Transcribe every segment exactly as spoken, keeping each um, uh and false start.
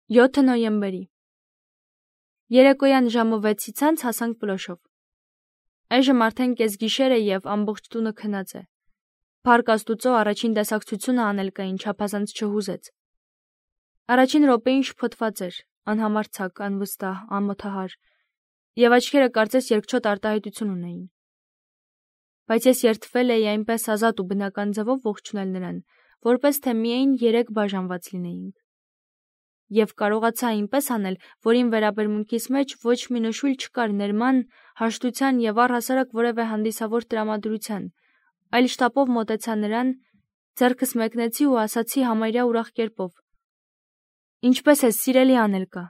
յոթ նոյեմբերի Երեկոյան ժամը վեցից անց հասանք Պլոշով։ Այժմ արդեն կեսգիշեր է և ամբողջ տունը քնած է։ Փառք Աստուծո, առաջին տեսակցությունը անել կային չափազանց չհուզեց։ Առաջին րոպեին շփոթված էր, անհամարձակ, անվստահ, անմոթահար, և աչքերը կարծես երկչոտ արտահայտություն ունեին։ Բայց ես երդվել էի այնպես ազատ ու բնական ձևով ողջունել նրան, որպես թե միայն երեք բաժանված լինեինք։ Եվ կարողացա այնպես անել, որ իմ վերաբերմունքիս մեջ ոչ մի նշույլ չկար ներման, հաշտության և առհասարակ որևէ հանդիսավոր տրամադրության, այլ շտապով մոտեցա նրան, ձեռքս մեկնեցի ու ասացի համարյա ուրախ կերպով. «Ինչպե՞ս ես, սիրելի Անելկա,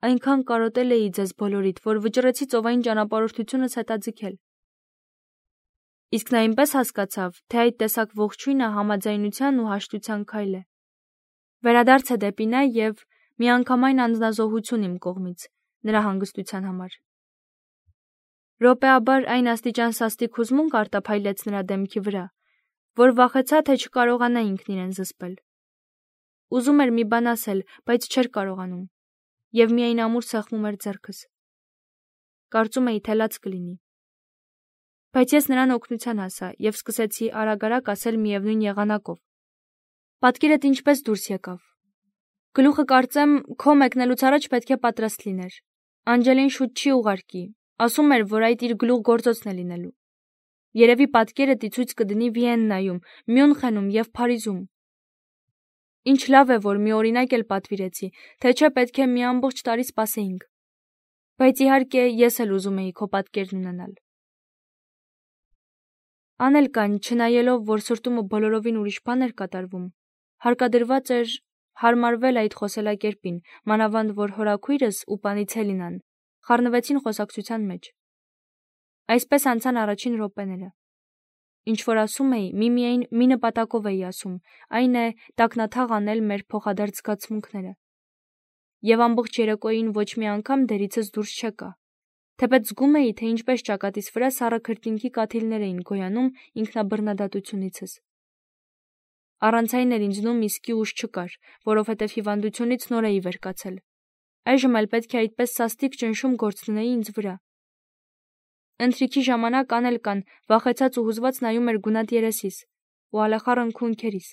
այնքան կարոտել էի ձեզ բոլորիդ, որ վճռեցի ծովային ճանապարհորդությունս հետաձգել»։ Իսկ նա այնպես հասկացավ, թե այդ տեսակ ողջույնը համաձայնության ու հաշտության քայլ է։ Վերադարձ է դեպի նա և միանգամայն անձնազոհություն իմ կողմից, նրա հանգստության համար։ Րոպեաբար այն աստիճան սաստիկ հուզմունք արտափայլեց նրա դեմքի վրա, որ վախեցա, թե չկարողանա ինքն իրեն զսպել։ Ուզում էր մի բան ասել, բայց չէր կարողանում, և միայն ամուր սեղմում էր ձեռքս։ Կարծում էի, թե լաց կլինի։ Բայց ես նրան օգնության հասա և սկսեցի արագ-արագ ասել միևնույն եղանակով. «Պատկերդ ինչպես դուրս եկավ։ Գլուխը կարծեմ քո մեկնելուց առաջ պետք է պատրաստ լիներ։ Անջելին շուտ չի ուղարկի, ասում էր, որ այդ իր գլուխգործոցն է լինելու։ Երևի պատկերդ ի ցույց կդնի Վիեննայում, Մյունխենում և Փարիզում։ Ինչ լավ է, որ մի օրինակ էլ պատվիրեցի, թե չէ պետք է մի ամբողջ տարի սպասեինք։ Բայց իհարկե ես էլ ուզում էի քո պատկերն ունենալ»։ Անելկան, չնայելով, որ սրտումը բոլորովին ուրիշ բան էր կատարվում, հարկադրված էր հարմարվել այդ խոսելակերպին, մանավանդ որ հորաքույրս ու Պանիցելինան խառնվեցին խոսակցության մեջ։ Այսպես անցան առաջին րոպեները։ Ինչ որ ասում էի, միմիայն մի նպատակով էի ասում, այն է տակնաթաղ անել մեր փոխադարձ զգացմունքները։ Եվ ամբողջ երեկոյին ոչ մի անգամ դերիցս դուրս չեկա, թեպետ զգում էի, թե ինչպես ճակատիս վրա սառը քրտինքի կաթիլներ էին գոյանում ինքնաբռնադատությունիցս։ Առանց այն էլ ինձնում իսկի ուժ չկար, որովհետև հիվանդությունից նոր էի վեր կացել։ Այժմ էլ պետք է այդպես սաստիկ ճնշում գործունեի ինձ վրա։ Ընթրիքի ժամանակ Անելկան վախեցած ու հուզված նայում էր գունատ երեսիս ու ալեխառն քունքերիս։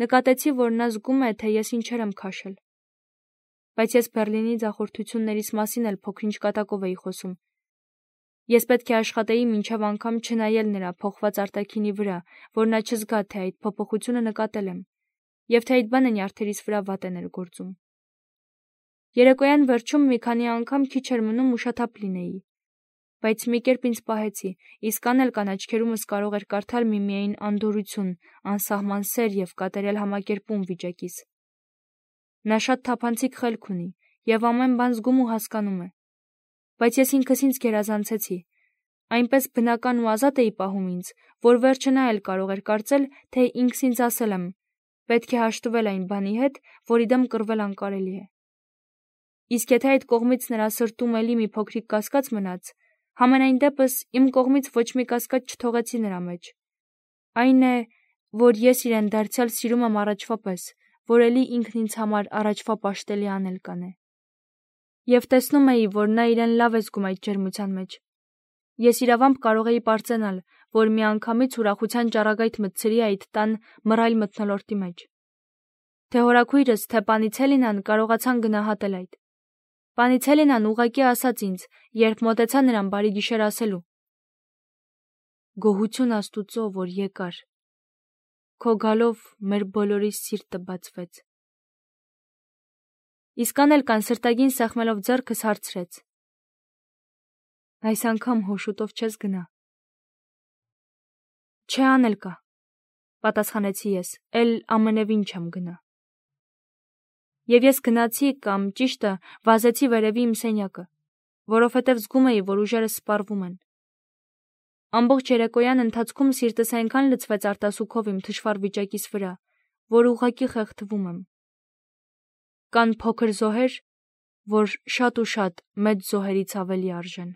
Նկատեցի, որ նա զգում է, թե ես ինչեր եմ քաշել։ Բայց ես Բեռլինի ձախորդություններիս մասին էլ փոքր-ինչ կատակով էի խոսում։ Ես պետք է աշխատեի մինչև անգամ չնայել նրա փոխված արտաքինի վրա, որ նա չզգա, թե այդ փոփոխությունը նկատել եմ, և թե այդ բանը նյարդերիս վրա վատ է ներգործում։ Երեկոյան վերջում մի քանի անգամ քիչ էր մնում ուշաթափ լինեի, բայց մի կերպ ինձ պահեցի, իսկ Անելկան աչքերումս կարող էր կարդալ միմիայն անդորրություն, անսահման սեր և կատարյալ համակերպում վիճակիս։ Նա շատ թափանցիկ խելք ունի և ամեն բան զգում ու հասկանում է։ Բայց ես ինքս ինձ գերազանցեցի, այնպես բնական ու ազատ էի պահում ինձ, որ վերջը նա էլ կարող էր կարծել, թե ինքս ինձ ասել եմ. պետք է հաշտվել այն բանի հետ, որի դեմ կռվել անկարելի է։ Իսկ եթե այդ կողմից նրա սրտում էլի մի փոքրիկ կասկած մնաց, համենայն դեպս իմ կողմից ոչ մի կասկած չթողեցի նրա մեջ։ Այն է, որ ես իրեն դարձյալ սիրում եմ առաջվա պես, որ էլի ինքն ինձ համար առաջվա պաշտելի Անելկան է։ Եվ տեսնում էի, որ նա իրեն լավ է զգում այդ ջերմության մեջ։ Ես իրավամբ կարող էի պարծենալ, որ միանգամից ուրախության ճառագայթ մտցրի այդ տան մռայլ մթնոլորտի մեջ։ Թե հորաքույրս, թե Պանիցելինան կարողացան գնահատել այդ։ Պանիցելինան ուղղակի ասաց ինձ, երբ մոտեցա նրան բարի գիշեր ասելու. «Գոհություն Աստուծո, որ եկար։ Քո գալով մեր բոլորի սիրտը բացվեց»։ Իսկ Անելկան սրտագին սեղմելով ձեռքս հարցրեց. «Այս անգամ հոշուտով չես գնա»։ «Չէ, Անելկա», պատասխանեցի ես, «էլ ամենևին չեմ գնա»։ Եվ ես գնացի կամ ճիշտը վազեցի վերևի իմ սենյակը, որովհետև զգում էի, որ ուժերս սպառվում են։ Ամբողջ երեկոյան ընթացքում սիրտս այնքան լցվեց արտասուքով իմ թշվառ վիճակիս վրա, որ ուղղակի խեղդվում եմ։ Կան փոքր զոհեր, որ շատ ու շատ մեծ զոհերից ավելի արժեն։